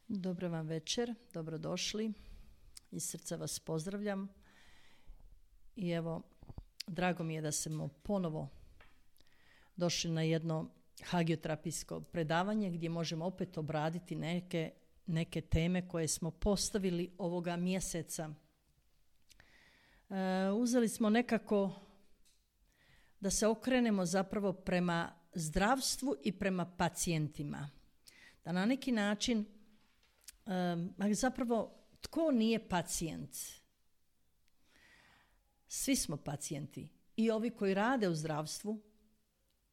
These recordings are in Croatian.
Dobro vam večer, dobrodošli. Iz srca vas pozdravljam. I evo, drago mi je da smo ponovo došli na jedno hagioterapijsko predavanje gdje možemo opet obraditi neke teme koje smo postavili ovoga mjeseca. Uzeli smo nekako da se okrenemo zapravo prema zdravstvu i prema pacijentima. Da na neki način, zapravo, tko nije pacijent? Svi smo pacijenti. I ovi koji rade u zdravstvu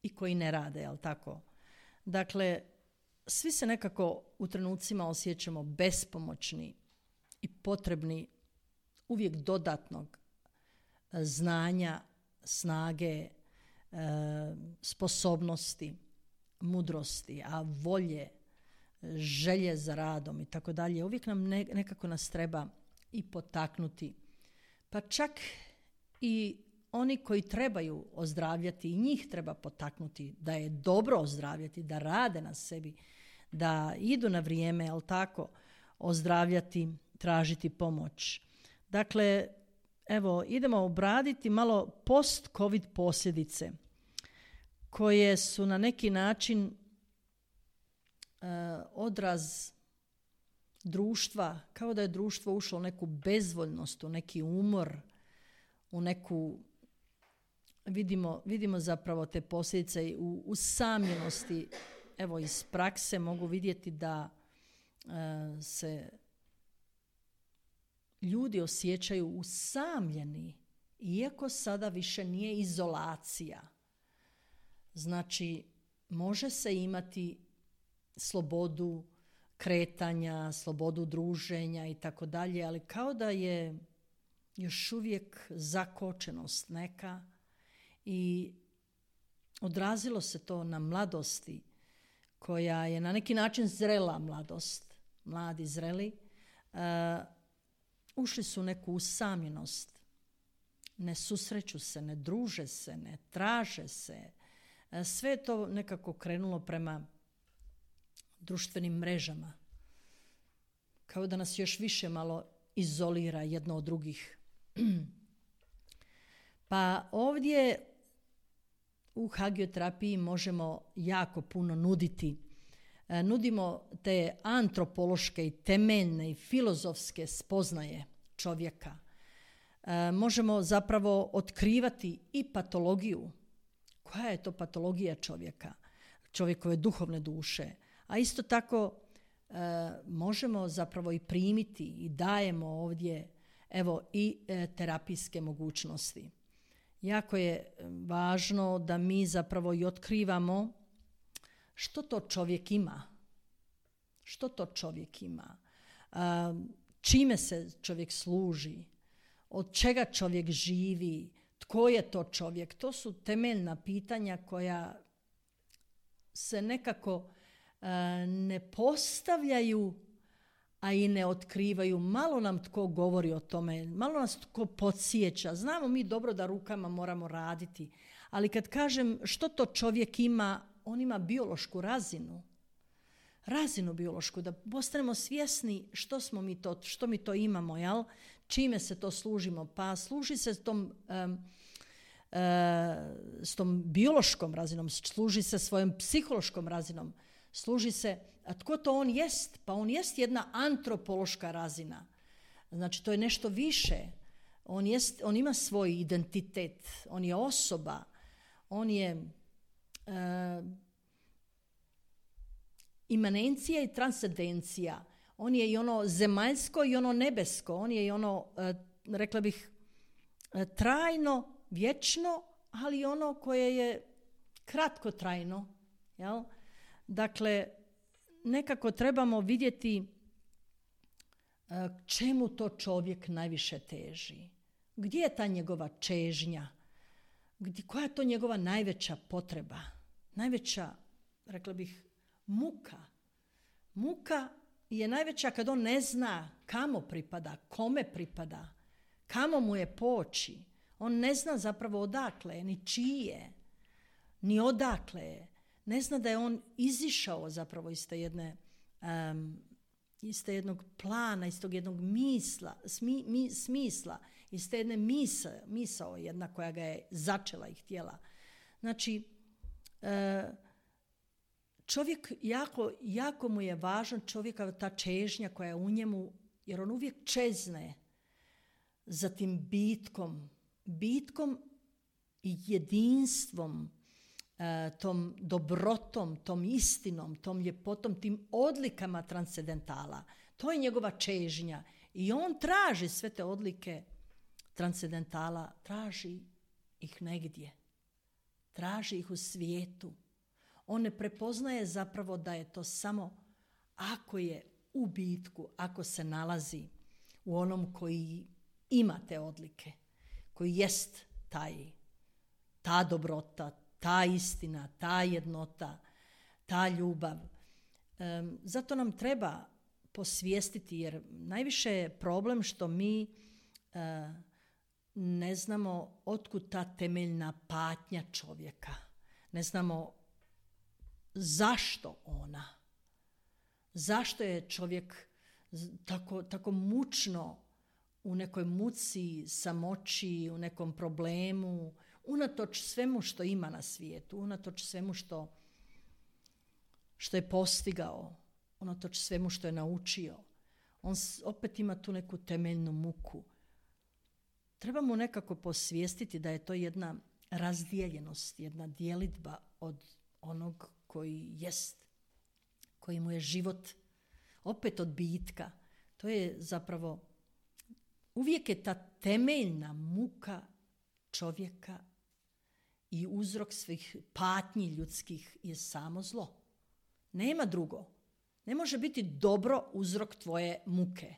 i koji ne rade, jel tako? Dakle, svi se nekako u trenucima osjećamo bespomoćni i potrebni uvijek dodatnog znanja, snage, sposobnosti, mudrosti, a volje, želje za radom i tako dalje. Uvijek nam nekako nas treba i potaknuti. Pa čak i oni koji trebaju ozdravljati, i njih treba potaknuti da je dobro ozdravljati, da rade na sebi, da idu na vrijeme, jel tako, ozdravljati, tražiti pomoć. Dakle, evo, idemo obraditi malo post-covid posljedice koje su na neki način odraz društva, kao da je društvo ušlo u neku bezvoljnost, u neki umor, u neku, vidimo zapravo te posljedice u usamljenosti. Evo, iz prakse mogu vidjeti da se ljudi osjećaju usamljeni, iako sada više nije izolacija. Znači, može se imati slobodu kretanja, slobodu druženja i tako dalje, ali kao da je još uvijek zakočenost neka i odrazilo se to na mladosti koja je na neki način zrela mladost, mladi zreli, ušli su u neku usamljenost, ne susreću se, ne druže se, ne traže se, sve je to nekako krenulo prema društvenim mrežama. Kao da nas još više malo izolira jedno od drugih. Pa ovdje u hagioterapiji možemo jako puno nuditi. Nudimo te antropološke i temeljne i filozofske spoznaje čovjeka. Možemo zapravo otkrivati i patologiju. Koja je to patologija čovjeka? Čovjekove duhovne duše. A isto tako možemo zapravo i primiti i dajemo ovdje evo i terapijske mogućnosti. Jako je važno da mi zapravo i otkrivamo što to čovjek ima. Što to čovjek ima? Čime se čovjek služi? Od čega čovjek živi? Tko je to čovjek? To su temeljna pitanja koja se nekako ne postavljaju, a i ne otkrivaju. Malo nam tko govori o tome, malo nas tko podsjeća. Znamo mi dobro da rukama moramo raditi, ali kad kažem što to čovjek ima, on ima biološku razinu biološku, da postanemo svjesni što mi to imamo, jel? Čime se to služimo. Pa služi se s tom biološkom razinom, služi se svojom psihološkom razinom, služi se, a tko to on jest? Pa on jest jedna antropološka razina. Znači, to je nešto više. On ima svoj identitet, on je osoba, on je imanencija i transcendencija. On je i ono zemaljsko i ono nebesko. On je i ono, rekla bih, trajno, vječno, ali ono koje je kratkotrajno. Jel? Dakle, nekako trebamo vidjeti čemu to čovjek najviše teži. Gdje je ta njegova čežnja? Koja je to njegova najveća potreba? Najveća, rekla bih, muka. Muka je najveća kad on ne zna kamo pripada, kome pripada, kamo mu je poći. On ne zna zapravo odakle, ni čije, ni odakle je. Ne zna da je on izišao zapravo iz te jedne iz te jednog plana, iz tog jednog smisla, iz te jedne misao jedna koja ga je začela i htjela. Znači, čovjek, jako mu je važan čovjeka ta čežnja koja je u njemu, jer on uvijek čezne za tim bitkom i jedinstvom, tom dobrotom, tom istinom, tom ljepotom, tim odlikama transcendentala. To je njegova čežnja. I on traži sve te odlike transcendentala, traži ih negdje. Traži ih u svijetu. On ne prepoznaje zapravo da je to samo ako je u bitku, ako se nalazi u onom koji ima te odlike, koji jest ta dobrota, ta istina, ta jednota, ta ljubav. Zato nam treba posvijestiti, jer najviše je problem što mi ne znamo otkud ta temeljna patnja čovjeka. Ne znamo zašto ona. Zašto je čovjek tako mučno u nekoj muci, samoći, u nekom problemu, unatoč svemu što ima na svijetu, unatoč svemu što je postigao, unatoč svemu što je naučio. On opet ima tu neku temeljnu muku. Treba mu nekako posvijestiti da je to jedna razdijeljenost, jedna djelitba od onog koji jest, koji mu je život, opet od bitka. To je zapravo, uvijek je ta temeljna muka čovjeka i uzrok svih patnji ljudskih je samo zlo. Nema drugo. Ne može biti dobro uzrok tvoje muke,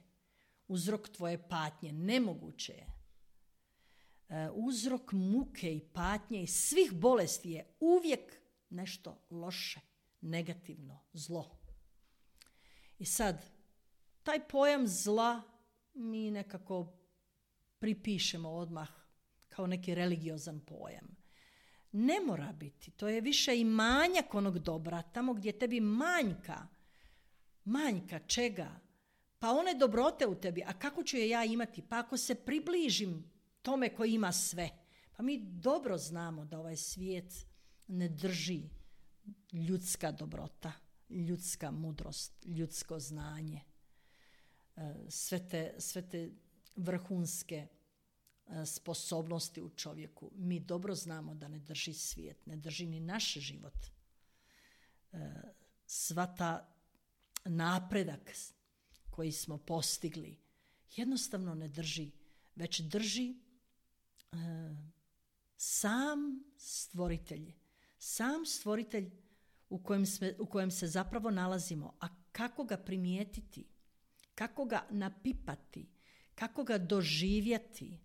uzrok tvoje patnje. Nemoguće je. Uzrok muke i patnje i svih bolesti je uvijek nešto loše, negativno, zlo. I sad, taj pojam zla mi nekako pripišemo odmah kao neki religiozan pojam. Ne mora biti. To je više i manjak onog dobra. Tamo gdje tebi manjka čega? Pa one dobrote u tebi. A kako ću je ja imati? Pa ako se približim tome koji ima sve. Pa mi dobro znamo da ovaj svijet ne drži ljudska dobrota, ljudska mudrost, ljudsko znanje. Sve te vrhunske sposobnosti u čovjeku. Mi dobro znamo da ne drži svijet, ne drži ni naš život. Sva ta napredak koji smo postigli jednostavno ne drži, već drži sam stvoritelj u kojem se zapravo nalazimo. A kako ga primijetiti, kako ga napipati, kako ga doživjeti?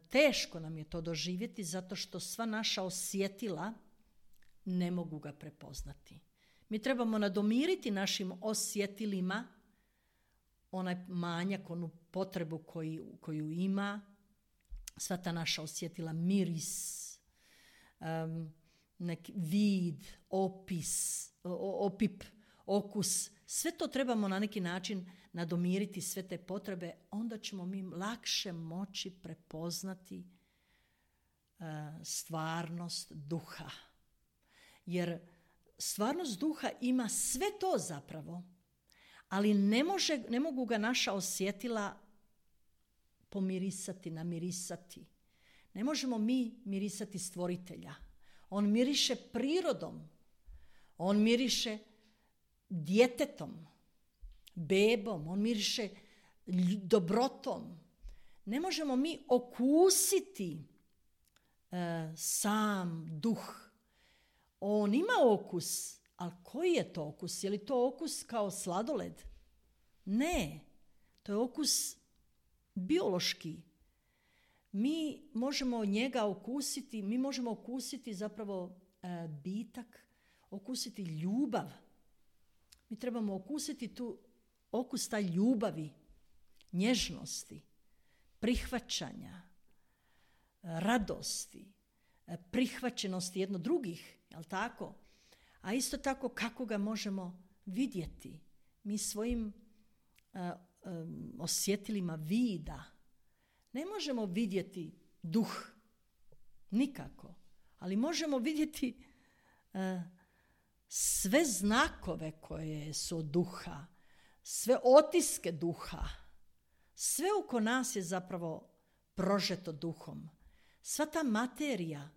Teško nam je to doživjeti zato što sva naša osjetila ne mogu ga prepoznati. Mi trebamo nadomiriti našim osjetilima onaj manjak, onu potrebu koju ima, sva ta naša osjetila, miris, neki vid, opip, okus, sve to trebamo na neki način nadomiriti, sve te potrebe, onda ćemo mi lakše moći prepoznati stvarnost duha. Jer stvarnost duha ima sve to zapravo, ali ne mogu ga naša osjetila pomirisati, namirisati. Ne možemo mi mirisati stvoritelja. On miriše prirodom. On miriše djetetom, bebom. On miriše dobrotom. Ne možemo mi okusiti sam duh. On ima okus, ali koji je to okus? Je li to okus kao sladoled? Ne, to je okus biološki. Mi možemo njega okusiti, mi možemo okusiti zapravo bitak, okusiti ljubav. Mi trebamo okusiti okus taj ljubavi, nježnosti, prihvaćanja, radosti, prihvaćenosti jedno drugih, jel tako? A isto tako kako ga možemo vidjeti. mi svojim osjetilima vida ne možemo vidjeti duh. Nikako. Ali možemo vidjeti sve znakove koje su od duha, sve otiske duha. Sve oko nas je zapravo prožeto duhom. Sva ta materija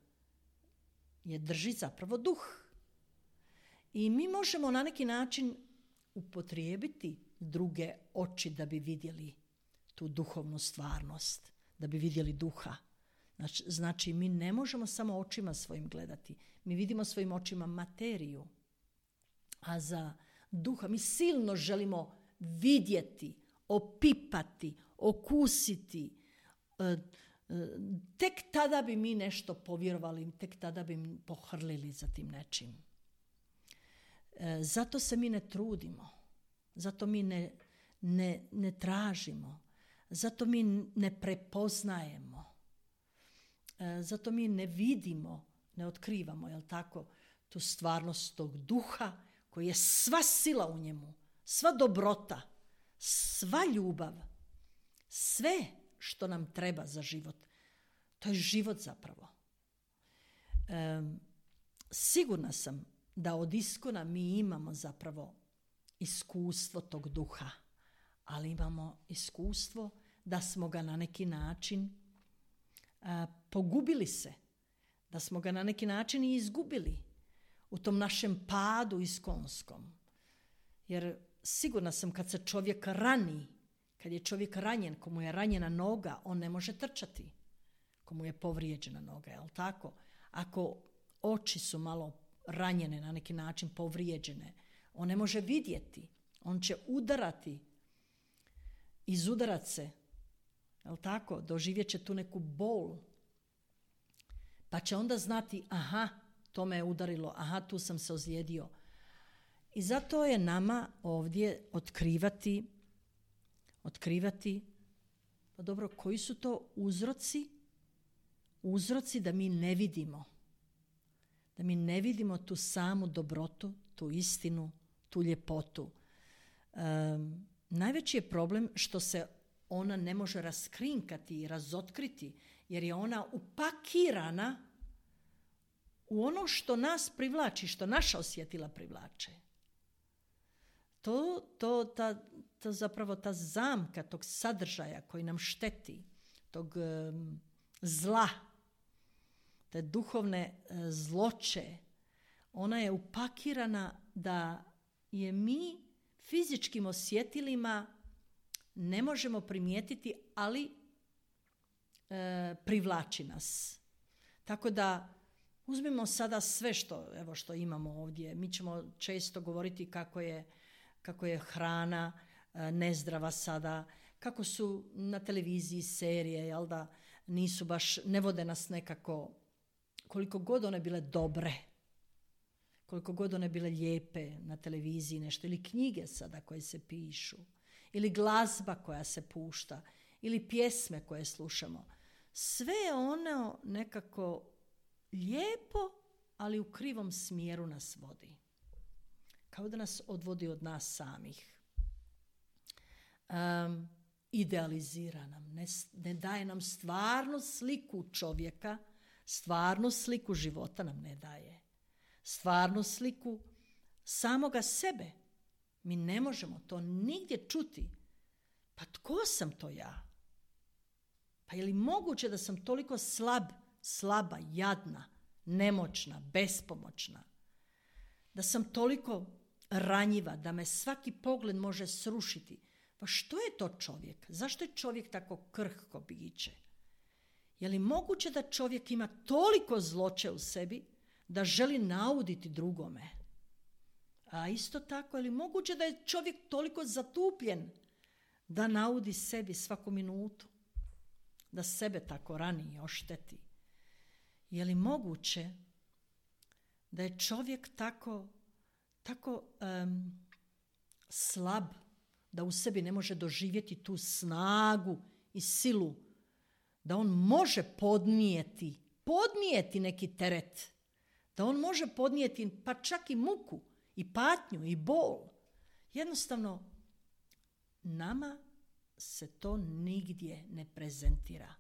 je drži zapravo duh. I mi možemo na neki način upotrijebiti druge oči da bi vidjeli tu duhovnu stvarnost, da bi vidjeli duha. Znači, mi ne možemo samo očima svojim gledati. Mi vidimo svojim očima materiju. A za duha mi silno želimo vidjeti, opipati, okusiti. Tek tada bi mi nešto povjerovali, tek tada bi pohrlili za tim nečim. Zato se mi ne trudimo. Zato mi ne tražimo. Zato mi ne prepoznajemo. Zato mi ne vidimo, ne otkrivamo, jel tako, tu stvarnost tog duha koji je sva sila u njemu, sva dobrota, sva ljubav, sve što nam treba za život. To je život zapravo. Sigurna sam da od iskona mi imamo zapravo iskustvo tog duha, ali imamo iskustvo da smo ga na neki način pogubili se, da smo ga na neki način i izgubili u tom našem padu iskonskom. Jer sigurna sam kad se čovjek rani, kad je čovjek ranjen, komu je ranjena noga, on ne može trčati. Komu je povrijeđena noga, jel tako? Ako oči su malo ranjene, na neki način povrijeđene, on ne može vidjeti. On će udarati, izudarat se, jel tako? Doživjet će tu neku bol. Pa će onda znati, aha, to me je udarilo, aha, tu sam se ozlijedio. I zato je nama ovdje otkrivati, pa dobro, koji su to uzroci? Uzroci da mi ne vidimo. Da mi ne vidimo tu samu dobrotu, tu istinu, tu ljepotu. Najveći je problem što se ona ne može raskrinkati i razotkriti, jer je ona upakirana u ono što nas privlači, što naša osjetila privlače. To zapravo ta zamka tog sadržaja koji nam šteti, tog zla, te duhovne zloće, ona je upakirana da je mi fizičkim osjetilima ne možemo primijetiti, ali privlači nas. Tako da uzmimo sada sve što imamo ovdje. Mi ćemo često govoriti kako je hrana nezdrava sada, kako su na televiziji serije, jel da nisu baš, ne vode nas nekako, koliko god one bile dobre, koliko god one bile lijepe na televiziji nešto, ili knjige sada koje se pišu, ili glazba koja se pušta, ili pjesme koje slušamo. Sve je ono nekako lijepo, ali u krivom smjeru nas vodi. Kao da nas odvodi od nas samih. Idealizira nam, ne daje nam stvarnu sliku čovjeka, stvarnu sliku života nam ne daje. Stvarnu sliku samoga sebe. Mi ne možemo to nigdje čuti. Pa tko sam to ja? Pa je li moguće da sam toliko slaba, jadna, nemoćna, bespomoćna? Da sam toliko ranjiva, da me svaki pogled može srušiti? Pa što je to čovjek? Zašto je čovjek tako krhko biće? Je li moguće da čovjek ima toliko zloće u sebi da želi nauditi drugome? A isto tako, je li moguće da je čovjek toliko zatupljen da naudi sebi svaku minutu? Da sebe tako rani i ošteti? Je li moguće da je čovjek tako slab da u sebi ne može doživjeti tu snagu i silu, da on može podnijeti neki teret, da on može podnijeti pa čak i muku i patnju i bol. Jednostavno, nama se to nigdje ne prezentira.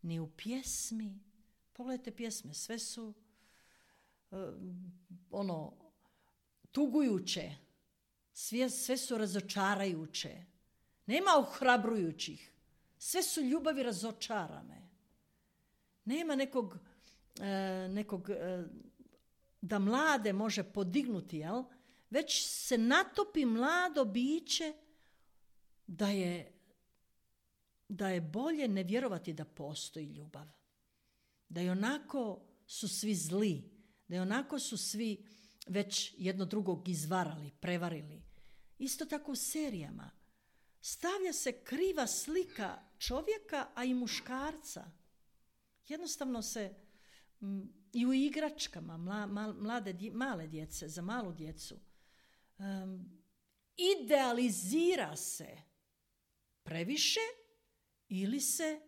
Ni u pjesmi. Pogledajte pjesme, sve su tugujuće. Sve su razočarajuće. Nema ohrabrujućih. Sve su ljubavi razočarane. Nema nekog da mlade može podignuti, jel? Već se natopi mlado biće da je bolje ne vjerovati da postoji ljubav. Da i onako su svi zli. Da i onako su svi već jedno drugog izvarali, prevarili. Isto tako u serijama. Stavlja se kriva slika čovjeka, a i muškarca. Jednostavno se i u igračkama male djece, za malu djecu, idealizira se previše ili se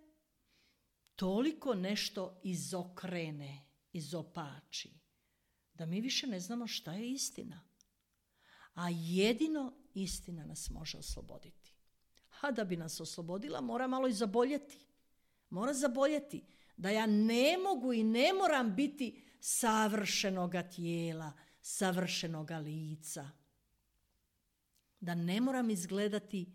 toliko nešto izokrene, izopači, da mi više ne znamo šta je istina. A jedino istina nas može osloboditi. A da bi nas oslobodila, mora malo i zaboljeti. Mora zaboljeti da ja ne mogu i ne moram biti savršenoga tijela, savršenoga lica. Da ne moram izgledati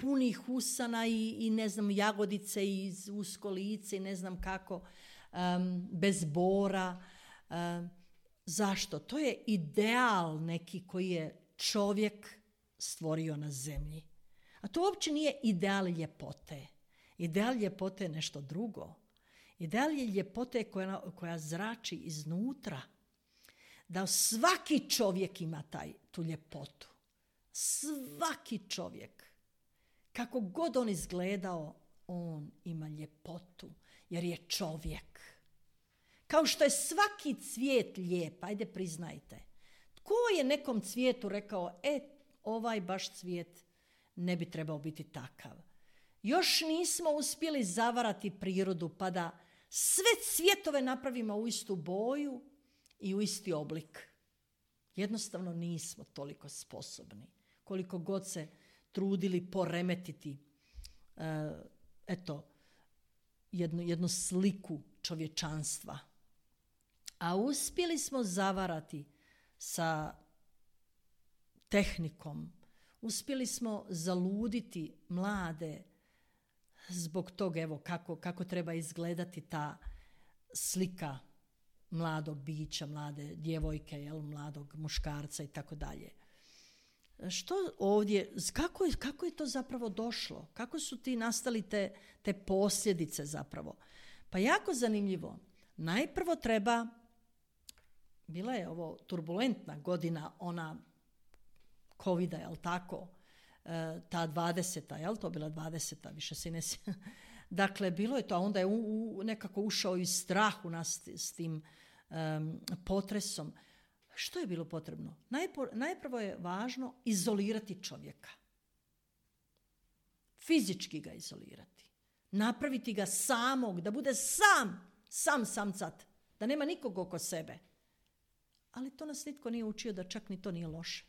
punih usana i ne znam, jagodice i usko lice i ne znam kako, bez bora. Zašto? To je ideal neki koji je čovjek stvorio na zemlji. A to uopće nije ideal ljepote. Ideal ljepote je nešto drugo. Ideal je ljepote koja zrači iznutra. Da svaki čovjek ima tu ljepotu. Svaki čovjek. Kako god on izgledao, on ima ljepotu. Jer je čovjek. Kao što je svaki cvijet lijep. Ajde priznajte. Tko je nekom cvijetu rekao, ovaj baš cvijet ne bi trebao biti takav. Još nismo uspjeli zavarati prirodu pa da sve cvjetove napravimo u istu boju i u isti oblik. Jednostavno nismo toliko sposobni. Koliko god se trudili poremetiti jednu sliku čovječanstva. A uspjeli smo zavarati sa tehnikom. Uspjeli smo zaluditi mlade zbog toga, kako treba izgledati ta slika mladog bića, mlade djevojke, mladog muškarca i tako dalje. Što ovdje, kako je to zapravo došlo? Kako su ti nastali te posljedice zapravo? Pa jako zanimljivo. Najprvo bila je ovo turbulentna godina, ona Covida, jel tako? Ta 20. Jel to bila 20. Više se ne sjećam. Dakle, bilo je to, a onda je nekako ušao i strah u nas s tim potresom. Što je bilo potrebno? Najprvo je važno izolirati čovjeka. Fizički ga izolirati. Napraviti ga samog, da bude sam cat. Da nema nikog oko sebe. Ali to nas nitko nije učio da čak ni to nije loše.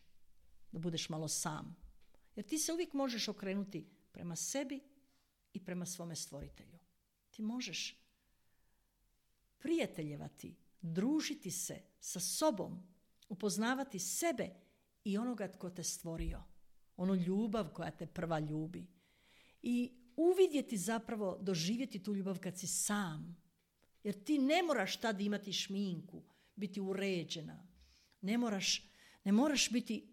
Da budeš malo sam. Jer ti se uvijek možeš okrenuti prema sebi i prema svome stvoritelju. Ti možeš prijateljevati, družiti se sa sobom, upoznavati sebe i onoga tko te stvorio. Onu ljubav koja te prva ljubi. I uvidjeti zapravo, doživjeti tu ljubav kad si sam. Jer ti ne moraš tad imati šminku, biti uređena. Ne moraš biti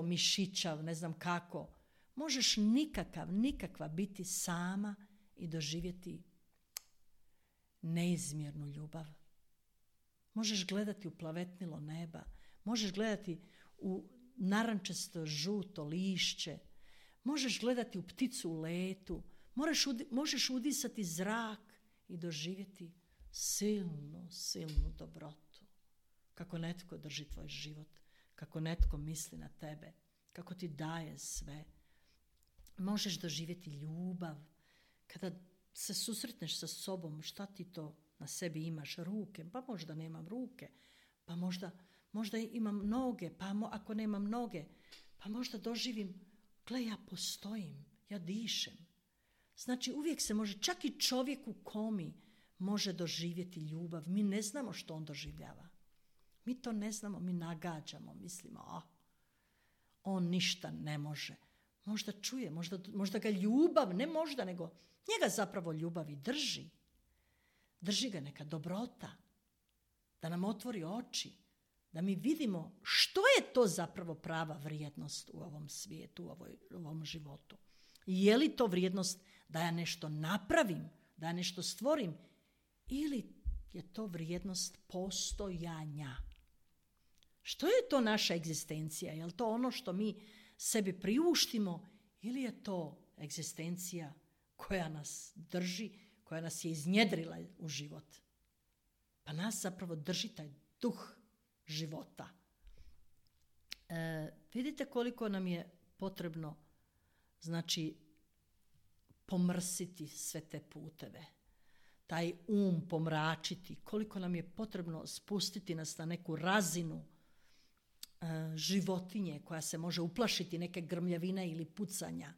mišićav, ne znam kako. Možeš nikakva biti sama i doživjeti neizmjernu ljubav. Možeš gledati u plavetnilo neba, možeš gledati u narančasto žuto lišće, možeš gledati u pticu u letu, možeš udisati zrak i doživjeti silnu dobrotu. Kako netko drži tvoj život, kako netko misli na tebe, kako ti daje sve. Možeš doživjeti ljubav. Kada se susretneš sa sobom, šta ti to na sebi imaš? Ruke? Pa možda nemam ruke. Pa možda imam noge. Pa ako nemam noge, Pa možda doživim, gle, ja postojim, ja dišem. Znači uvijek se može, čak i čovjek u komi može doživjeti ljubav. Mi ne znamo što on doživljava. Mi to ne znamo, mi nagađamo, mislimo, on ništa ne može. Možda čuje, možda ga ljubav, ne možda, nego njega zapravo ljubav i drži. Drži ga neka dobrota, da nam otvori oči, da mi vidimo što je to zapravo prava vrijednost u ovom svijetu, u ovom životu. Je li to vrijednost da ja nešto napravim, da ja nešto stvorim, ili je to vrijednost postojanja? Što je to naša egzistencija? Je li to ono što mi sebi priuštimo ili je to egzistencija koja nas drži, koja nas je iznjedrila u život? Pa nas zapravo drži taj duh života. Vidite koliko nam je potrebno, znači, pomrsiti sve te puteve, taj pomračiti, koliko nam je potrebno spustiti nas na neku razinu životinje koja se može uplašiti neke grmljavine ili pucanja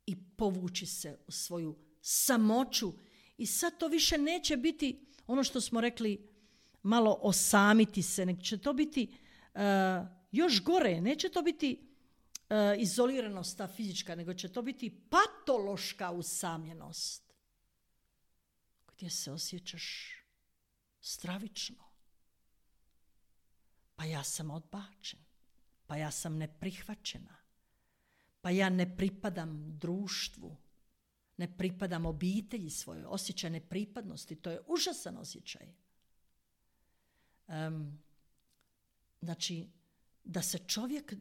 i povući se u svoju samoću. I sad to više neće biti ono što smo rekli, malo osamiti se, nego će to biti još gore, neće to biti izoliranost ta fizička, nego će to biti patološka usamljenost gdje se osjećaš stravično. Pa ja sam odbačen, pa ja sam neprihvaćena, pa ja ne pripadam društvu, ne pripadam obitelji svojoj, osjećaj nepripadnosti, to je užasan osjećaj. Znači, da se čovjek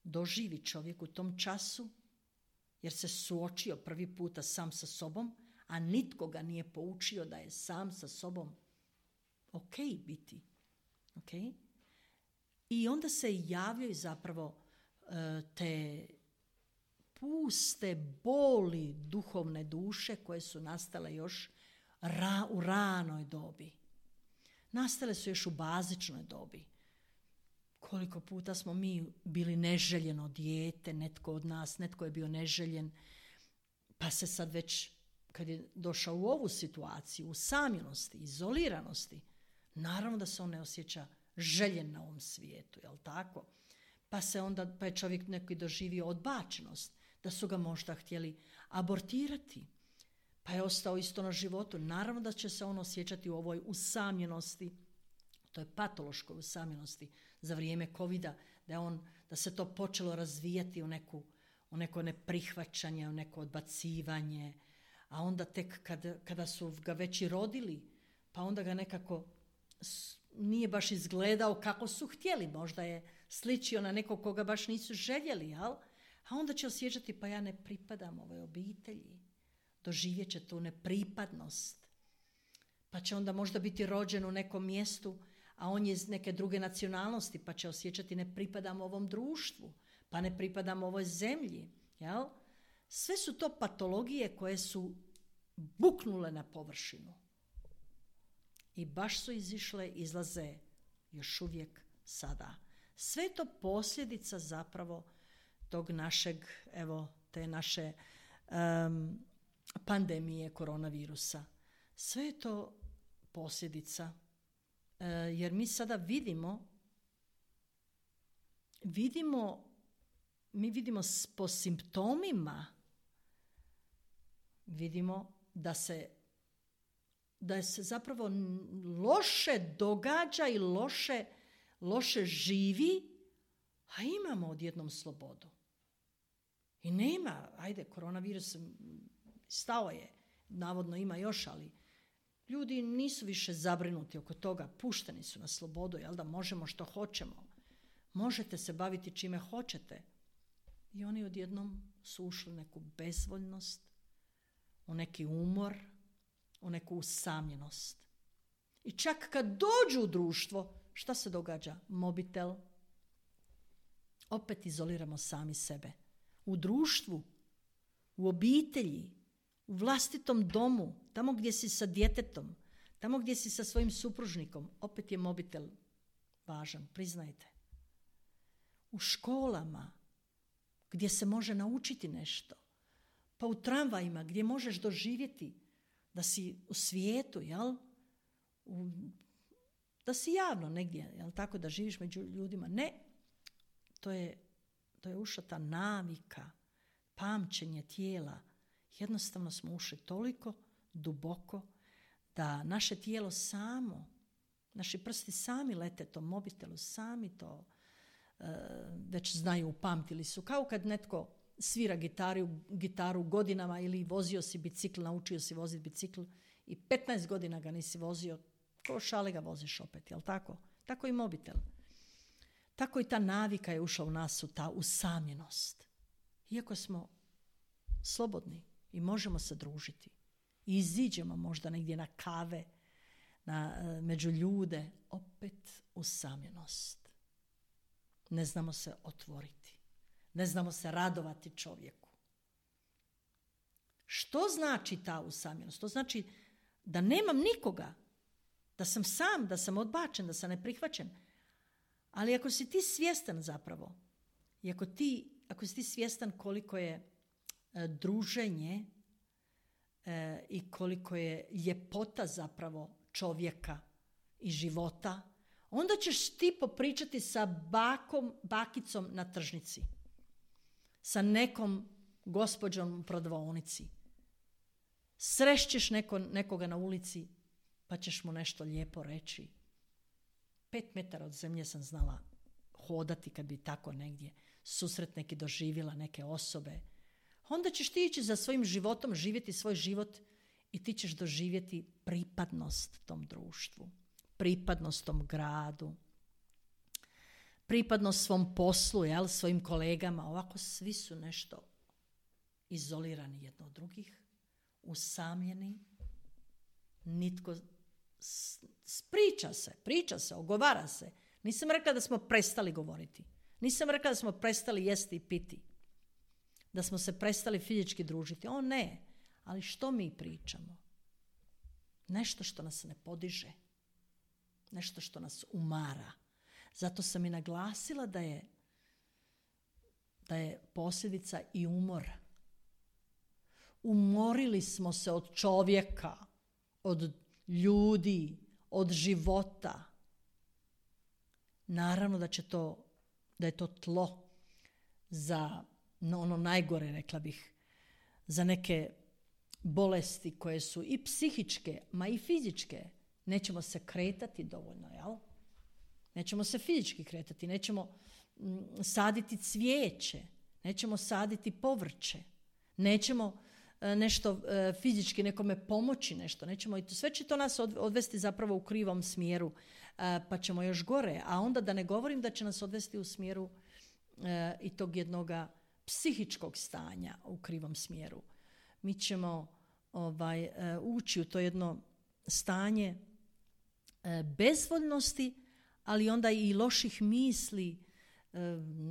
doživi čovjek u tom času, jer se suočio prvi puta sam sa sobom, a nitko ga nije poučio da je sam sa sobom ok biti. Okay? I onda se javljaju zapravo te puste boli duhovne duše koje su nastale još u ranoj dobi. Nastale su još u bazičnoj dobi. Koliko puta smo mi bili neželjeno dijete, netko od nas, netko je bio neželjen, pa se sad već, kad je došao u ovu situaciju, usamljenosti, izoliranosti, naravno da se on ne osjeća željen na ovom svijetu, jel tako? Pa je čovjek neki doživio odbačenost, da su ga možda htjeli abortirati, pa je ostao isto na životu. Naravno da će se on osjećati u ovoj usamljenosti, to je patološkoj usamljenosti za vrijeme covida, da se to počelo razvijati u neko neprihvaćanje, u neko odbacivanje, a onda tek kada su ga već i rodili, pa onda ga nekako nije baš izgledao kako su htjeli, možda je sličio na nekog koga baš nisu željeli, jel? A onda će osjećati, pa ja ne pripadam ovoj obitelji, doživjet će tu nepripadnost, pa će onda možda biti rođen u nekom mjestu, a on je iz neke druge nacionalnosti, pa će osjećati ne pripadam ovom društvu, pa ne pripadam ovoj zemlji, jel? Sve su to patologije koje su buknule na površinu. I baš su izlaze još uvijek sada. Sve je to posljedica zapravo tog našeg, te naše pandemije koronavirusa. Sve je to posljedica, jer mi sada vidimo po simptomima, vidimo da se zapravo loše događa i loše živi, a imamo odjednom slobodu. I nema, koronavirus stao je, navodno ima još, ali ljudi nisu više zabrinuti oko toga, pušteni su na slobodu, jel da možemo što hoćemo. Možete se baviti čime hoćete. I oni odjednom su ušli u neku bezvoljnost, u neki umor, u neku usamljenost. I čak kad dođu u društvo, šta se događa? Mobitel. Opet izoliramo sami sebe. U društvu, u obitelji, u vlastitom domu, tamo gdje si sa djetetom, tamo gdje si sa svojim supružnikom, opet je mobitel važan, priznajte. u školama gdje se može naučiti nešto, pa u tramvajima gdje možeš doživjeti da si u svijetu, jel? Da si javno negdje, jel tako, da živiš među ljudima. Ne, to je ušla ta navika, pamćenje tijela. Jednostavno smo ušli toliko duboko da naše tijelo samo, naši prsti sami lete tom mobitelu, sami to već znaju, upamtili su. Kao kad netko svira gitaru godinama ili vozio si bicikl, naučio si voziti bicikl i 15 godina ga nisi vozio, ko šale ga voziš opet, jel tako? Tako i mobitel. Tako i ta navika je ušla u nas, ta usamljenost. Iako smo slobodni i možemo se družiti i iziđemo možda negdje na kave, među ljude, opet usamljenost. Ne znamo se otvoriti. Ne znamo se radovati čovjeku. Što znači ta usamljenost? To znači da nemam nikoga, da sam sam, da sam odbačen, da sam neprihvaćen. Ali ako si ti svjestan zapravo, i ako si ti svjestan koliko je druženje i koliko je ljepota zapravo čovjeka i života, onda ćeš ti popričati sa bakicom na tržnici, sa nekom gospođom u prodavaonici. Srešćeš nekoga na ulici, pa ćeš mu nešto lijepo reći. 5 metara od zemlje sam znala hodati kad bi tako negdje susret neki doživjela neke osobe. Onda ćeš ti ići za svojim životom, živjeti svoj život i ti ćeš doživjeti pripadnost tom društvu, pripadnost tom gradu, pripadnost svom poslu, jel, svojim kolegama. Ovako svi su nešto izolirani jedno od drugih, usamljeni, nitko priča se, ogovara se. Nisam rekla da smo prestali govoriti. Nisam rekla da smo prestali jesti i piti. Da smo se prestali fizički družiti. O ne, ali što mi pričamo? Nešto što nas ne podiže. Nešto što nas umara. Zato sam i naglasila da je posljedica i umor. Umorili smo se od čovjeka, od ljudi, od života. Naravno da je to tlo za ono najgore, rekla bih, za neke bolesti koje su i psihičke, ma i fizičke. Nećemo se kretati dovoljno, jel? Nećemo se fizički kretati, nećemo saditi cvijeće, nećemo saditi povrće, nećemo nešto fizički nekome pomoći, nešto nećemo, i sve će to nas odvesti zapravo u krivom smjeru, pa ćemo još gore, a onda da ne govorim da će nas odvesti u smjeru i tog jednoga psihičkog stanja u krivom smjeru. Mi ćemo ući u to jedno stanje bezvoljnosti, ali onda i loših misli,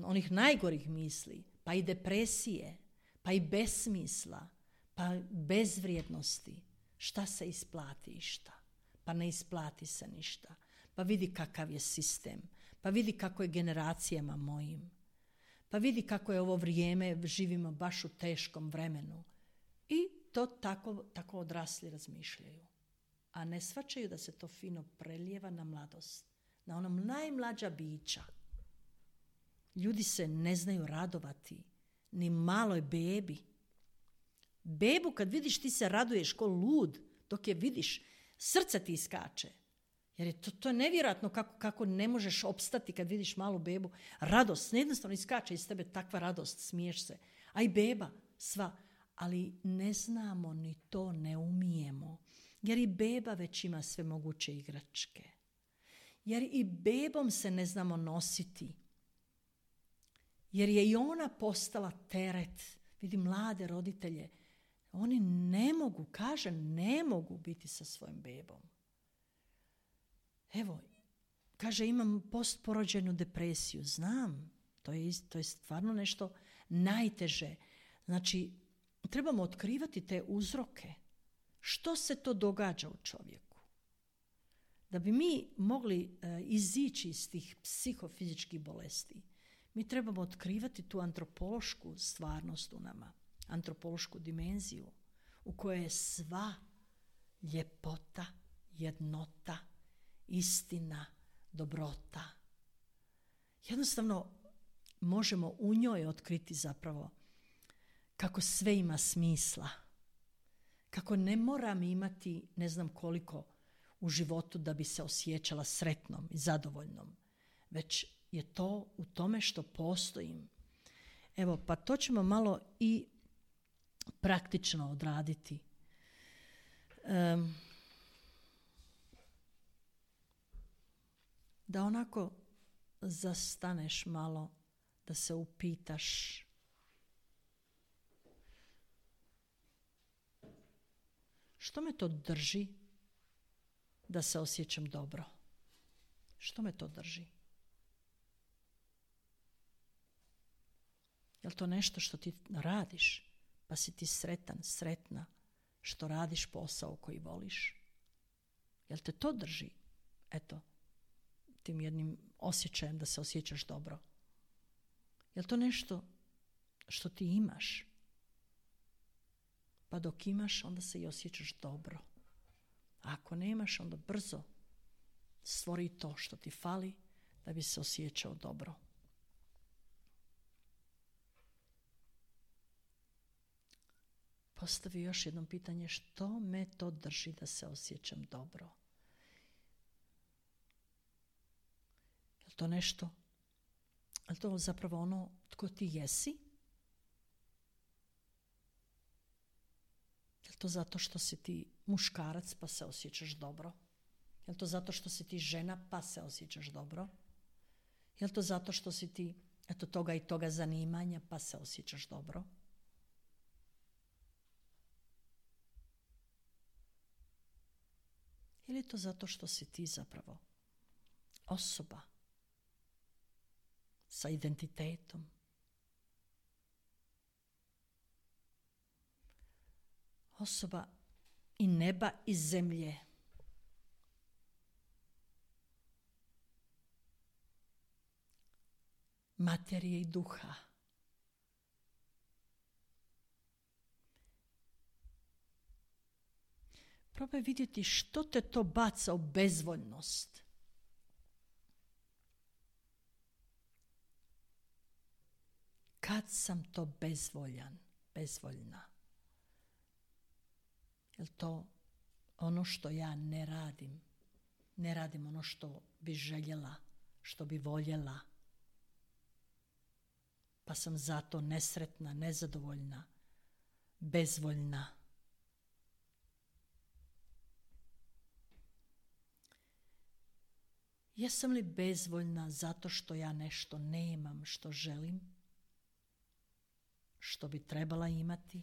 onih najgorih misli, pa i depresije, pa i besmisla, pa bezvrijednosti. Šta se isplati i šta? Pa ne isplati se ništa. Pa vidi kakav je sistem. Pa vidi kako je generacijama mojim. Pa vidi kako je ovo vrijeme, živimo baš u teškom vremenu. I to tako odrasli razmišljaju. A ne shvaćaju da se to fino prelijeva na mladost. Na onom najmlađa bića. Ljudi se ne znaju radovati. Ni maloj bebi. Bebu kad vidiš ti se raduješ ko lud. Dok je vidiš, srce ti iskače. Jer je to je nevjerojatno kako ne možeš opstati kad vidiš malu bebu. Radost, jednostavno iskače iz tebe takva radost, smiješ se. A i beba, sva. Ali ne znamo ni to, ne umijemo. Jer i beba već ima sve moguće igračke. Jer i bebom se ne znamo nositi. Jer je i ona postala teret. Vidim mlade roditelje. Oni ne mogu biti sa svojim bebom. Evo, kaže imam postporođajnu depresiju. Znam, to je stvarno nešto najteže. Znači, trebamo otkrivati te uzroke. Što se to događa u čovjeku? Da bi mi mogli izići iz tih psihofizičkih bolesti, Mi trebamo otkrivati tu antropološku stvarnost u nama, antropološku dimenziju u kojoj je sva ljepota, jednota, istina, dobrota. Jednostavno možemo u njoj otkriti zapravo kako sve ima smisla, kako ne moram imati ne znam koliko u životu da bi se osjećala sretnom i zadovoljnom, već je to u tome što postojim. Evo, pa to ćemo malo i praktično odraditi. Da onako zastaneš malo, da se upitaš što me to drži da se osjećam dobro? Što me to drži? Je li to nešto što ti radiš, pa si ti sretan, sretna, što radiš posao koji voliš? Je li te to drži? Eto, tim jednim osjećajem da se osjećaš dobro. Je li to nešto što ti imaš? Pa dok imaš, onda se i osjećaš dobro. A ako nemaš, onda brzo stvori to što ti fali da bi se osjećao dobro. Postavi još jedno pitanje, što me to drži da se osjećam dobro? Je li to nešto? Je li to zapravo ono tko ti jesi? Je li to zato što si ti muškarac pa se osjećaš dobro? Je li to zato što si ti žena pa se osjećaš dobro? Je li to zato što si ti toga i toga zanimanja pa se osjećaš dobro? Ili je to zato što si ti zapravo osoba sa identitetom? Osoba i neba i zemlje. Materije i duha. Probaj vidjeti što te to baca u bezvoljnost. Kad sam to bezvoljan, bezvoljna? Je li to ono što ja ne radim? Ne radim ono što bi željela, što bi voljela. Pa sam zato nesretna, nezadovoljna, bezvoljna. Jesam li bezvoljna zato što ja nešto nemam što želim, što bi trebala imati?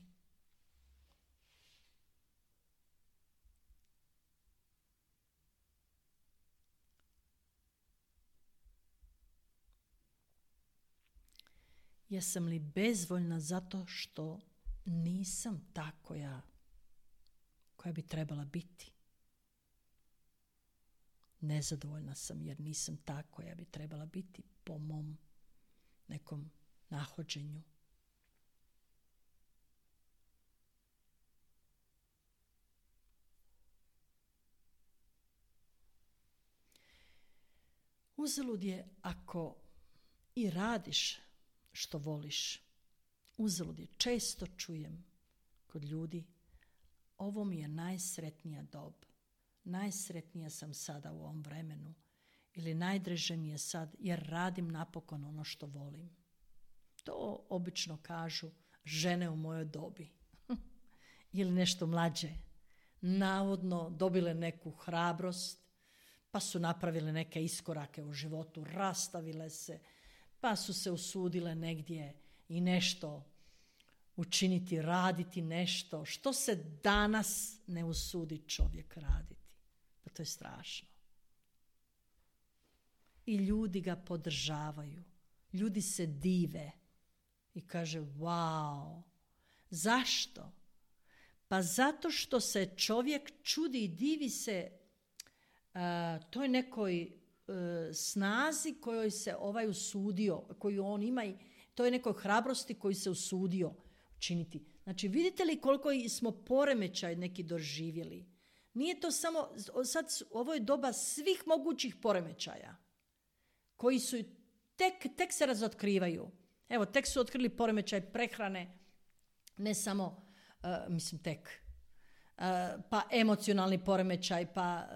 Jesam li bezvoljna zato što nisam ta koja bi trebala biti? Nezadovoljna sam jer nisam ta koja bi trebala biti po mom nekom nahođenju. Uzalud je ako i radiš što voliš. Uzalud je. Često čujem kod ljudi, ovo mi je najsretnija dob. Najsretnija sam sada u ovom vremenu. Ili najdraže mi je sad jer radim napokon ono što volim. To obično kažu žene u mojoj dobi. Ili nešto mlađe. Navodno dobile neku hrabrost, pa su napravile neke iskorake u životu, rastavile se, pa su se usudile negdje i nešto učiniti, raditi nešto. Što se danas ne usudi čovjek raditi? Pa to je strašno. I ljudi ga podržavaju. Ljudi se dive i kaže wow. Zašto? Pa zato što se čovjek čudi i divi se toj nekoj snazi kojoj se ovaj usudio, koju on ima, i to je nekoj hrabrosti koju se usudio činiti. Znači, vidite li koliko smo poremećaj neki doživjeli? Nije to samo, sad ovo je doba svih mogućih poremećaja koji su tek se razotkrivaju. Evo, tek su otkrili poremećaj prehrane, ne samo, pa emocionalni poremećaj, pa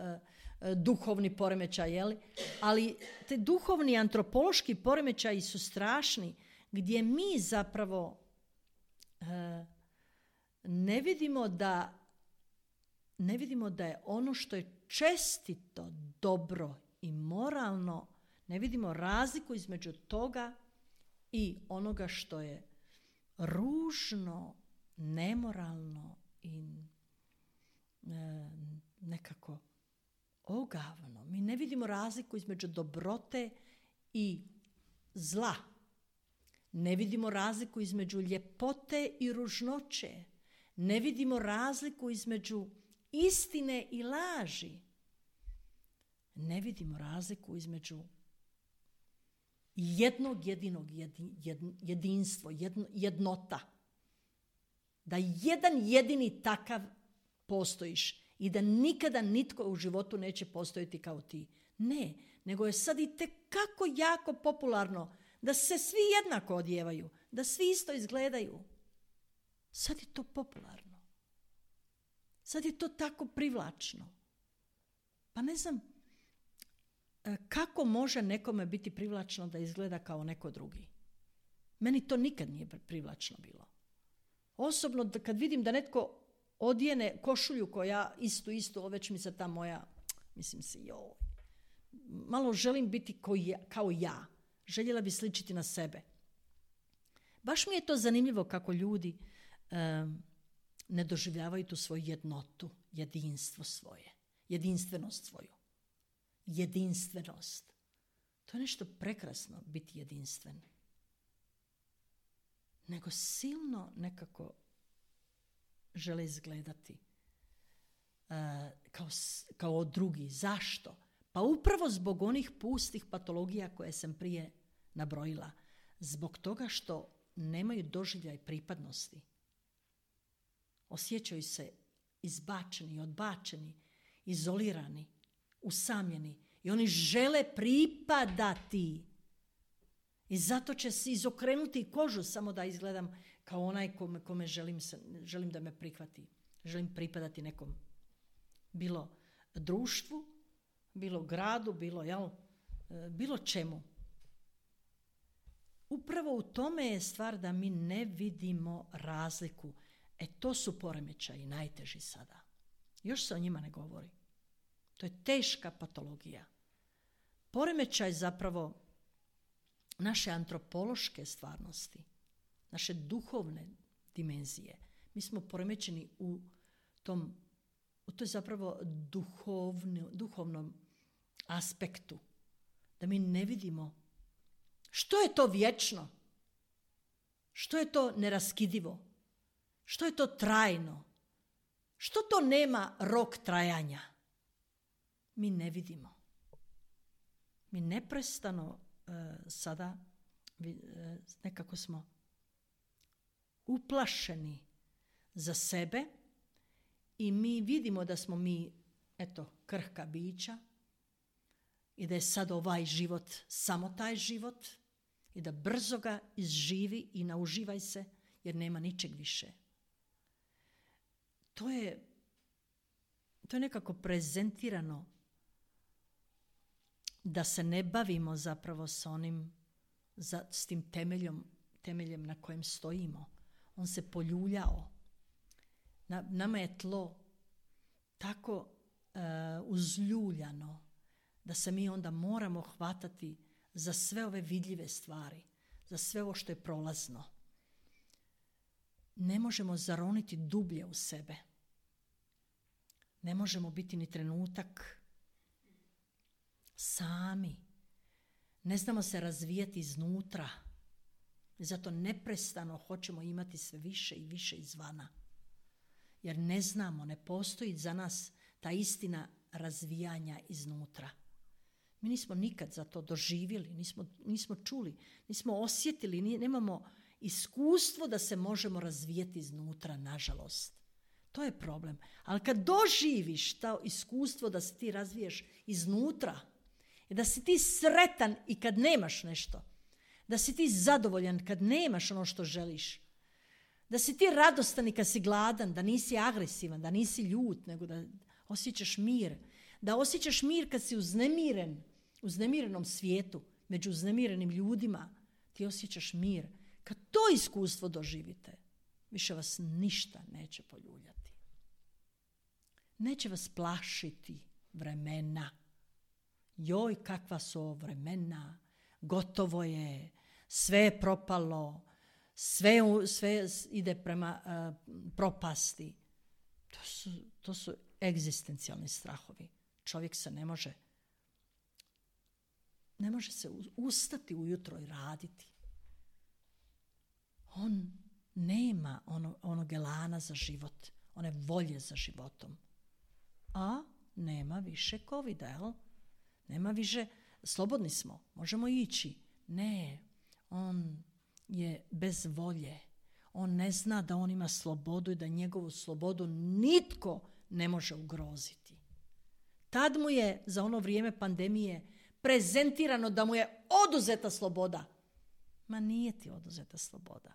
duhovni poremećaj, jeli? Ali te duhovni antropološki poremećaji su strašni, gdje mi zapravo ne vidimo da je ono što je čestito, dobro i moralno, ne vidimo razliku između toga i onoga što je ružno, nemoralno i nekako ogavno. Mi ne vidimo razliku između dobrote i zla. Ne vidimo razliku između ljepote i ružnoće. Ne vidimo razliku između istine i laži. Ne vidimo razliku između jednog jedinog jedinstvo, jednota. Da jedan jedini takav postojiš i da nikada nitko u životu neće postojati kao ti. Ne, nego je sad i tekako jako popularno da se svi jednako odjevaju, da svi isto izgledaju. Sad je to popularno. Sad je to tako privlačno. Pa ne znam kako može nekome biti privlačno da izgleda kao neko drugi. Meni to nikad nije privlačno bilo. Osobno kad vidim da netko odjene košulju koja istu, već mi se ta moja, mislim si, malo želim biti kao ja. Željela bi sličiti na sebe. Baš mi je to zanimljivo kako ljudi ne doživljavaju tu svoju jednotu, jedinstvo svoje, jedinstvenost svoju. Jedinstvenost. To je nešto prekrasno, biti jedinstven. Nego silno nekako žele izgledati kao drugi. Zašto? Pa upravo zbog onih pustih patologija koje sam prije nabrojila. Zbog toga što nemaju doživljaj pripadnosti. Osjećaju se izbačeni, odbačeni, izolirani, usamljeni. I oni žele pripadati. I zato će se izokrenuti kožu samo da izgledam kao onaj kome želim da me prihvati. Želim pripadati nekom. Bilo društvu, bilo gradu, bilo čemu. Upravo u tome je stvar da mi ne vidimo razliku. To su poremećaji najteži sada. Još se o njima ne govori. To je teška patologija. Poremećaj zapravo naše antropološke stvarnosti, naše duhovne dimenzije. Mi smo poremećeni u toj zapravo duhovnom aspektu. Da mi ne vidimo što je to vječno, što je to neraskidivo, što je to trajno, što to nema rok trajanja. Mi ne vidimo. Mi neprestano sada nekako smo uplašeni za sebe i mi vidimo da smo mi, krhka bića i da je sad ovaj život samo taj život i da brzo ga izživi i nauživaj se jer nema ničeg više. To je nekako prezentirano da se ne bavimo zapravo s tim temeljem na kojem stojimo. On se poljuljao. Nama je tlo tako uzljuljano da se mi onda moramo hvatati za sve ove vidljive stvari, za sve ovo što je prolazno. Ne možemo zaroniti dublje u sebe. Ne možemo biti ni trenutak sami. Ne znamo se razvijati iznutra. Zato neprestano hoćemo imati sve više i više izvana. Jer ne znamo, ne postoji za nas ta istina razvijanja iznutra. Mi nismo nikad za to doživjeli, nismo čuli, nismo osjetili, nemamo iskustvo da se možemo razvijeti iznutra, nažalost. To je problem. Ali kad doživiš to iskustvo da se ti razviješ iznutra i da si ti sretan i kad nemaš nešto, da si ti zadovoljan kad nemaš ono što želiš, da si ti radostan i kad si gladan, da nisi agresivan, da nisi ljut, nego da osjećaš mir. Da osjećaš mir kad si uznemiren, u uznemirenom svijetu, među uznemirenim ljudima, ti osjećaš mir. Kad to iskustvo doživite, više vas ništa neće poljuljati. Neće vas plašiti vremena. Joj, kakva su ovo vremena, gotovo je, sve je propalo, sve ide prema propasti. To su egzistencijalni strahovi. Čovjek se ne može se ustati ujutro i raditi. On nema onog elana za život, one volje za životom. A nema više covida, jel? Nema više, slobodni smo, možemo ići. Ne, on je bez volje. On ne zna da on ima slobodu i da njegovu slobodu nitko ne može ugroziti. Tad mu je za ono vrijeme pandemije prezentirano da mu je oduzeta sloboda. Ma nije ti oduzeta sloboda.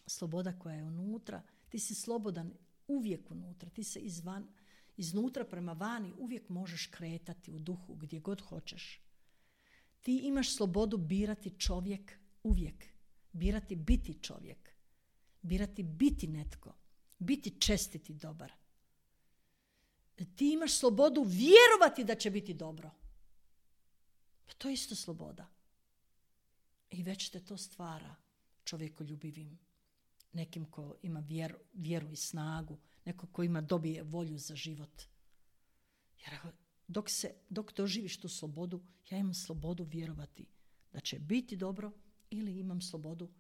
Sloboda koja je unutra, ti si slobodan uvijek unutra, ti se iznutra prema vani uvijek možeš kretati u duhu gdje god hoćeš. Ti imaš slobodu birati čovjek uvijek, birati biti čovjek, birati biti netko, biti čestit i dobar. Ti imaš slobodu vjerovati da će biti dobro. Pa to je isto sloboda. I već te to stvara čovjekoljubivim. Nekim ko ima vjeru i snagu, neko ko dobije volju za život. Jer dok doživiš tu slobodu, ja imam slobodu vjerovati da će biti dobro ili imam slobodu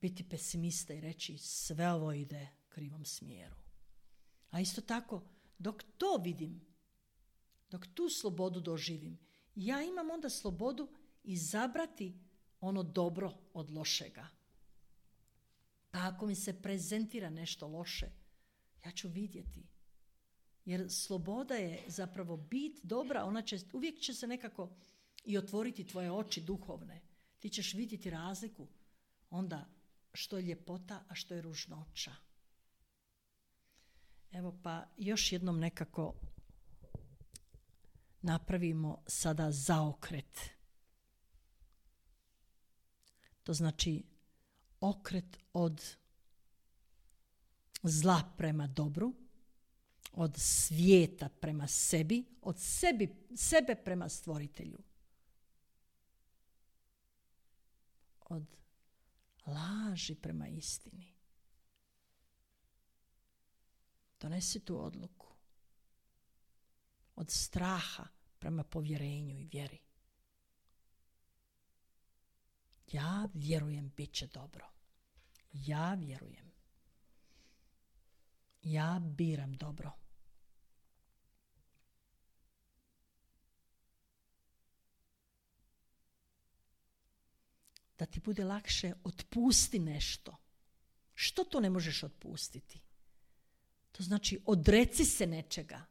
biti pesimista i reći sve ovo ide krivom smjeru. A isto tako, dok to vidim, dok tu slobodu doživim, ja imam onda slobodu izabrati ono dobro od lošega. Pa ako mi se prezentira nešto loše, ja ću vidjeti. Jer sloboda je zapravo bit dobra, uvijek će se nekako i otvoriti tvoje oči duhovne. Ti ćeš vidjeti razliku onda što je ljepota, a što je ružnoća. Evo pa još jednom nekako napravimo sada zaokret. To znači okret od zla prema dobru, od svijeta prema sebi, od sebe prema stvoritelju. Od laži prema istini. Donesi tu odluku. Od straha prema povjerenju i vjeri. Ja vjerujem, bit će dobro. Ja vjerujem. Ja biram dobro. Da ti bude lakše, otpusti nešto. Što to ne možeš otpustiti? To znači odreci se nečega.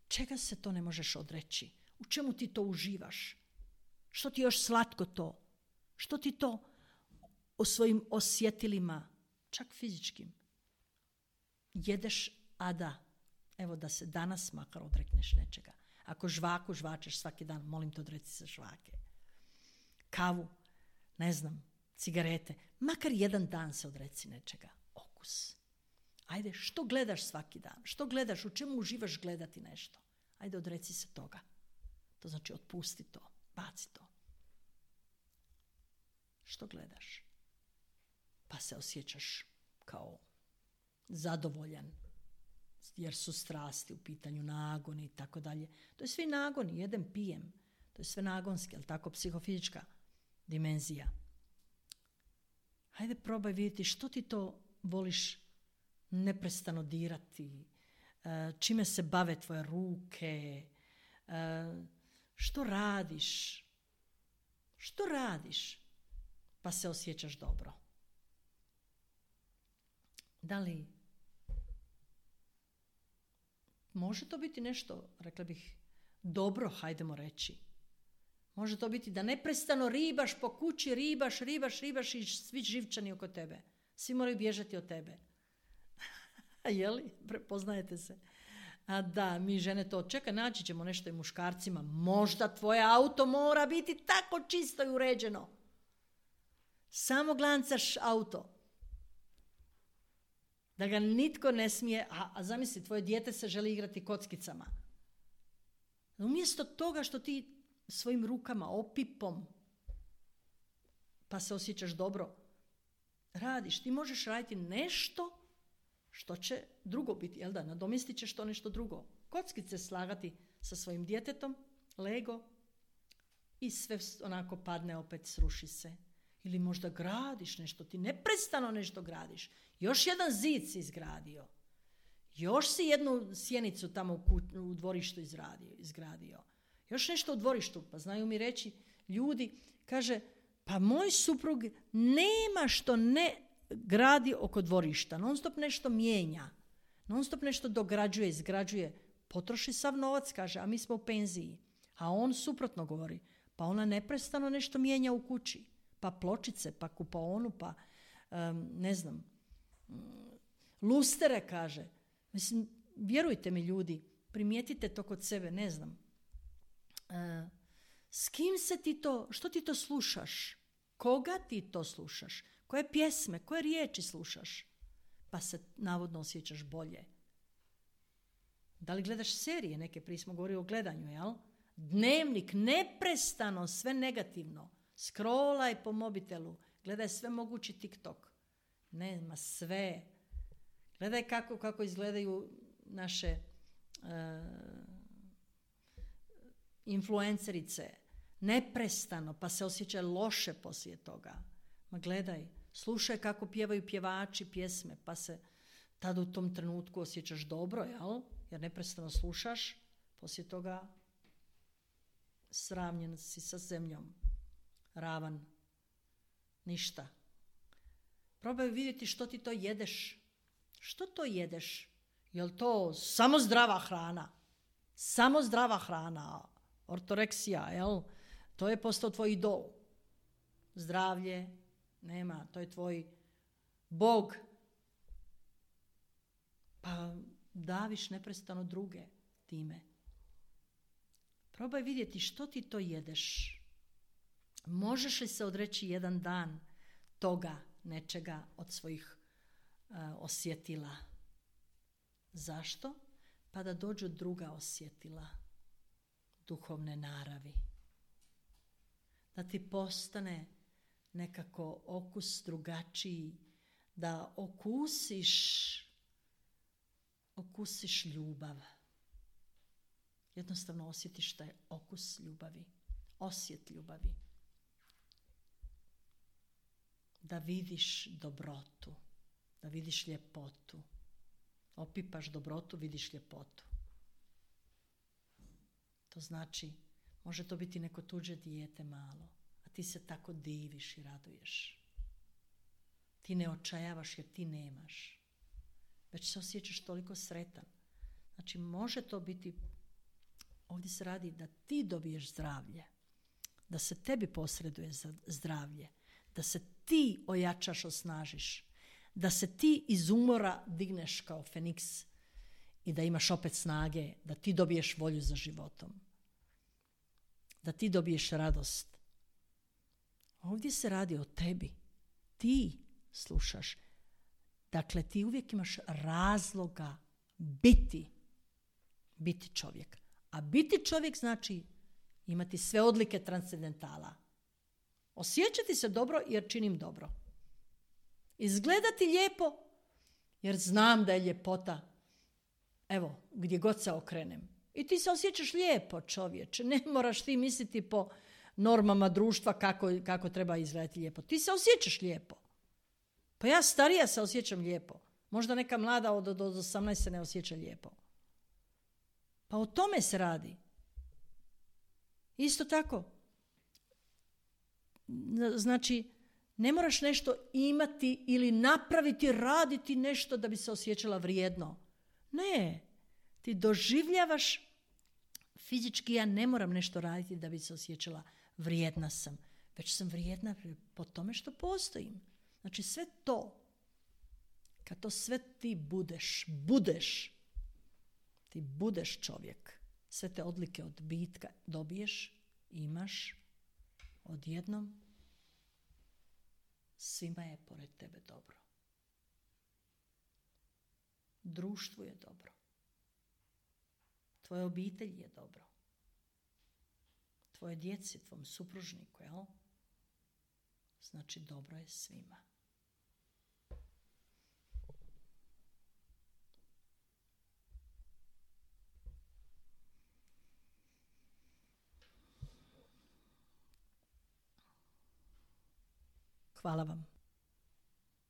Čega se to ne možeš odreći? U čemu ti to uživaš? Što ti još slatko to? Što ti to o svojim osjetilima, čak fizičkim, jedeš, a da, evo da se danas makar odrekneš nečega. Ako žvaku žvačeš svaki dan, molim te odreci se žvake. Kavu, ne znam, cigarete, makar jedan dan se odreci nečega. Okus. Ajde, što gledaš svaki dan? Što gledaš? U čemu uživaš gledati nešto? Ajde, odreci se toga. To znači otpusti to, baci to. Što gledaš? Pa se osjećaš kao zadovoljan, jer su strasti u pitanju, nagoni i tako dalje. To je sve nagoni, jedem, pijem. To je sve nagonski, ali tako psihofizička dimenzija. Hajde probaj vidjeti što ti to voliš neprestano dirati, čime se bave tvoje ruke, Što radiš? Što radiš? Pa se osjećaš dobro. Da li može to biti nešto, rekla bih, dobro, hajdemo reći. Može to biti da neprestano ribaš po kući, ribaš i svi živčani oko tebe. Svi moraju bježati od tebe. Je li? Prepoznajete se. A da, mi žene to čeka, naći ćemo nešto i muškarcima. Možda tvoje auto mora biti tako čisto i uređeno. Samo glancaš auto. Da ga nitko ne smije, a zamisli, tvoje dijete se želi igrati kockicama. Umjesto toga što ti svojim rukama, opipom, pa se osjećaš dobro, radiš, ti možeš raditi nešto što će drugo biti, jel da, nadomjestit ćeš to nešto drugo. Kockice slagati sa svojim djetetom, Lego, i sve onako padne, opet sruši se. Ili možda gradiš nešto, ti neprestano nešto gradiš. Još jedan zid si izgradio. Još si jednu sjenicu tamo u dvorištu izgradio. Još nešto u dvorištu, pa znaju mi reći ljudi, kaže, pa moj suprug nema što ne gradi oko dvorišta, non stop nešto mijenja, non stop nešto dograđuje, izgrađuje, potroši sav novac, kaže, a mi smo u penziji. A on suprotno govori, pa ona neprestano nešto mijenja u kući, pa pločice, pa kupaonu, pa ne znam, lustere, kaže. Mislim, vjerujte mi ljudi, primijetite to kod sebe, ne znam. S kim se ti to, što ti to slušaš? Koga ti to slušaš? Koje pjesme, koje riječi slušaš? Pa se navodno osjećaš bolje. Da li gledaš serije neke, prije smo govorili o gledanju, jel? Dnevnik, neprestano, sve negativno. Scrollaj po mobitelu, gledaj sve mogući TikTok. Nema sve. Gledaj kako izgledaju naše influencerice. Neprestano, pa se osjeća loše poslije toga. Ma gledaj, slušaj kako pjevaju pjevači pjesme, pa se tada u tom trenutku osjećaš dobro, jel? Jer neprestano slušaš, poslije toga sravnjen si sa zemljom, ravan, ništa. Probaj vidjeti što ti to jedeš. Što to jedeš? Jel to samo zdrava hrana? Samo zdrava hrana, ortoreksija, jel? To je postao tvoj idol. Zdravlje, nema, to je tvoj Bog. Pa daviš neprestano druge time. Probaj vidjeti što ti to jedeš. Možeš li se odreći jedan dan toga nečega od svojih osjetila? Zašto? Pa da dođu druga osjetila duhovne naravi. Da ti postane nekako okus drugačiji, da okusiš ljubav. Jednostavno osjetiš taj okus ljubavi, osjet ljubavi. Da vidiš dobrotu, da vidiš ljepotu. Opipaš dobrotu, vidiš ljepotu. To znači, može to biti neko tuđe dijete malo, a ti se tako diviš i raduješ. Ti ne očajavaš jer ti nemaš. Već se osjećaš toliko sretan. Znači, može to biti, ovdje se radi da ti dobiješ zdravlje, da se tebi posreduje zdravlje, da se ti ojačaš, osnažiš, da se ti iz umora digneš kao Feniks i da imaš opet snage, da ti dobiješ volju za životom, da ti dobiješ radost. Ovdje se radi o tebi. Ti slušaš. Dakle, ti uvijek imaš razloga biti čovjek. A biti čovjek znači imati sve odlike transcendentala. Osjećati se dobro jer činim dobro. Izgledati lijepo jer znam da je ljepota, evo, gdje god se okrenem. I ti se osjećaš lijepo, čovječe. Ne moraš ti misliti po normama društva kako treba izgledati lijepo. Ti se osjećaš lijepo. Pa ja starija se osjećam lijepo. Možda neka mlada od 18 se ne osjeća lijepo. Pa o tome se radi. Isto tako, znači, ne moraš nešto imati ili napraviti, raditi nešto da bi se osjećala vrijedno. Ne, ti doživljavaš fizički, ja ne moram nešto raditi da bi se osjećala vrijedna sam. Već sam vrijedna po tome što postojim. Znači sve to, kad to sve ti ti budeš čovjek. Sve te odlike od bitka dobiješ, imaš, odjednom svima je pored tebe dobro. Društvu je dobro. Tvoje obitelji je dobro. Tvoje djeci, tvom supružniku, jel? Znači dobro je svima. Hvala vam.